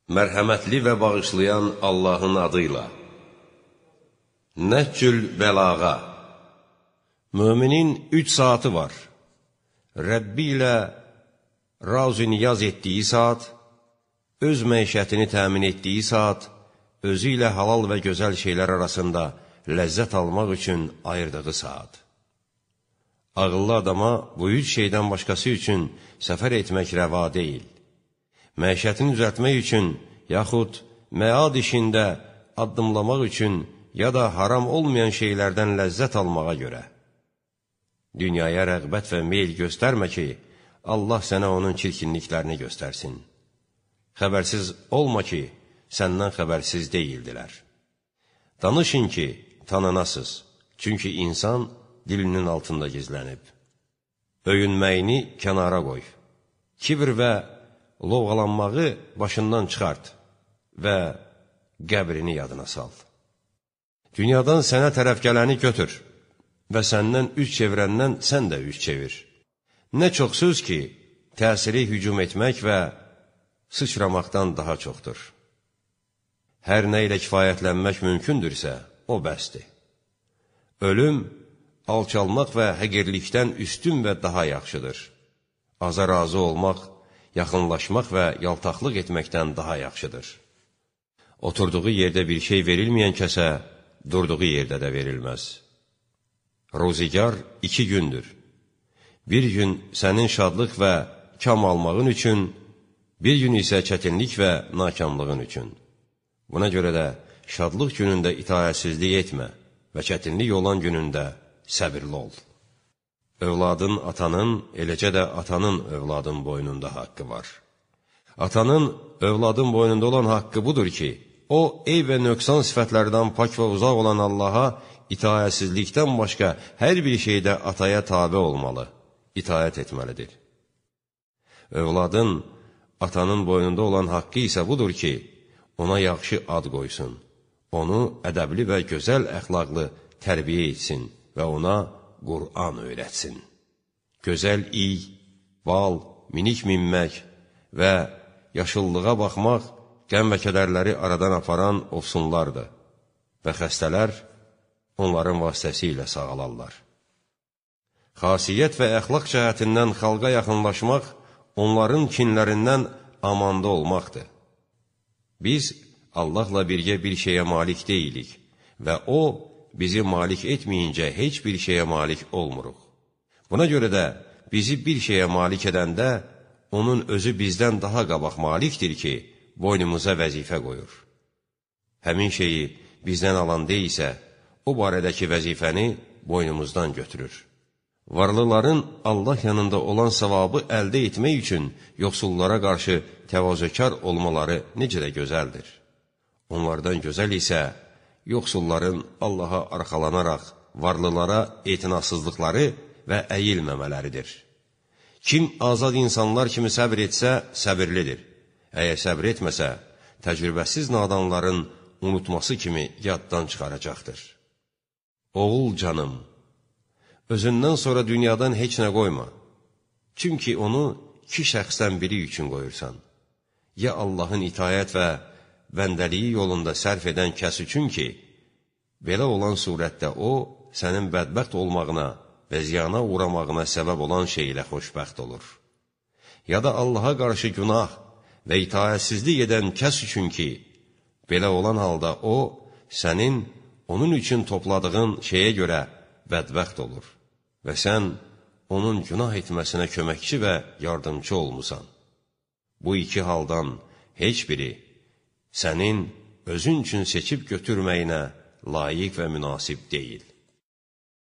Mərhəmətli və bağışlayan Allahın adıyla. Nəhcül bəlağa. Müminin 3 saatı var. Rəbbi ilə razı-niyaz etdiyi saat, öz məişətini təmin etdiyi saat, özü ilə halal və gözəl şeylər arasında ləzzət almaq üçün ayırdığı saat. Ağıllı adama bu 3 şeydən başqası üçün səfər etmək rəva deyil. Məişətini düzəltmək üçün, yaxud məad işində addımlamaq üçün, ya da haram olmayan şeylərdən ləzzət almağa görə. Dünyaya rəğbət və meyl göstərmə ki, Allah sənə onun çirkinliklərini göstərsin. Xəbərsiz olma ki, səndən xəbərsiz deyildilər. Danışın ki, tanınasız, çünki insan dilinin altında gizlənib. Öyünməyini kənara qoy. Kibir və lovğalanmağı başından çıxart və qəbrini yadına sal. Dünyadan sənə tərəf gələni götür və səndən üç çevirəndən sən də üç çevir. Nə çox söz ki, təsiri hücum etmək və sıçramaqdan daha çoxdur. Hər nə ilə kifayətlənmək mümkündürsə, o bəsdir. Ölüm, alçalmaq və həqirlikdən üstün və daha yaxşıdır. Aza razı olmaq, yaxınlaşmaq və yaltaqlıq etməkdən daha yaxşıdır. Oturduğu yerdə bir şey verilməyən kəsə, durduğu yerdə də verilməz. Ruzigar 2 gündür. Bir gün sənin şadlıq və kam almağın üçün, bir gün isə çətinlik və nakamlığın üçün. Buna görə də şadlıq günündə itaətsizlik etmə və çətinlik olan günündə səbirli ol. Övladın atanın, eləcə də atanın övladın boynunda haqqı var. Atanın övladın boynunda olan haqqı budur ki, o, eyb və nöqsan sifətlərdən pak və uzaq olan Allaha itaətsizlikdən başqa hər bir şeydə ataya tabe olmalı, itaət etməlidir. Övladın, atanın boynunda olan haqqı isə budur ki, ona yaxşı ad qoysun, onu ədəbli və gözəl əxlaqlı tərbiyə etsin və ona Qur'an öyrətsin. Gözəl iy, bal, minik minmək və yaşıllığa baxmaq qəm və kədərləri aradan aparan ofsunlardır və xəstələr onların vasitəsilə sağalarlar. Xasiyyət və əxlaq cəhətindən xalqa yaxınlaşmaq, onların kinlərindən amanda olmaqdır. Biz Allahla birgə bir şeyə malik deyilik və O, bizi malik etməyincə heç bir şeyə malik olmuruq. Buna görə də bizi bir şeyə malik edəndə, onun özü bizdən daha qabaq malikdir ki, boynumuza vəzifə qoyur. Həmin şeyi bizdən alan deyilsə, o barədəki vəzifəni boynumuzdan götürür. Varlıların Allah yanında olan savabı əldə etmək üçün yoxsullara qarşı təvazökar olmaları necə də gözəldir. Onlardan gözəl isə, yoxsulların Allaha arxalanaraq varlılara etinasızlıqları və əyilməmələridir. Kim azad insanlar kimi səbr etsə, səbirlidir. Əgər səbr etməsə, təcrübəsiz nadanların unutması kimi yaddan çıxaracaqdır. Oğul canım, özündən sonra dünyadan heç nə qoyma. Çünki onu 2 şəxsdən biri üçün qoyursan. Ya Allahın itayət və bəndəliyi yolunda sərf edən kəs üçün ki, belə olan surətdə o, sənin bədbəxt olmağına və ziyana uğramağına səbəb olan şey ilə xoşbəxt olur. Ya da Allaha qarşı günah və itaətsizlik edən kəs üçün ki, belə olan halda o, sənin onun üçün topladığın şeyə görə bədbəxt olur və sən onun günah etməsinə köməkçi və yardımcı olmusan. Bu 2 haldan heç biri sənin özün üçün seçib götürməyinə layiq və münasib deyil.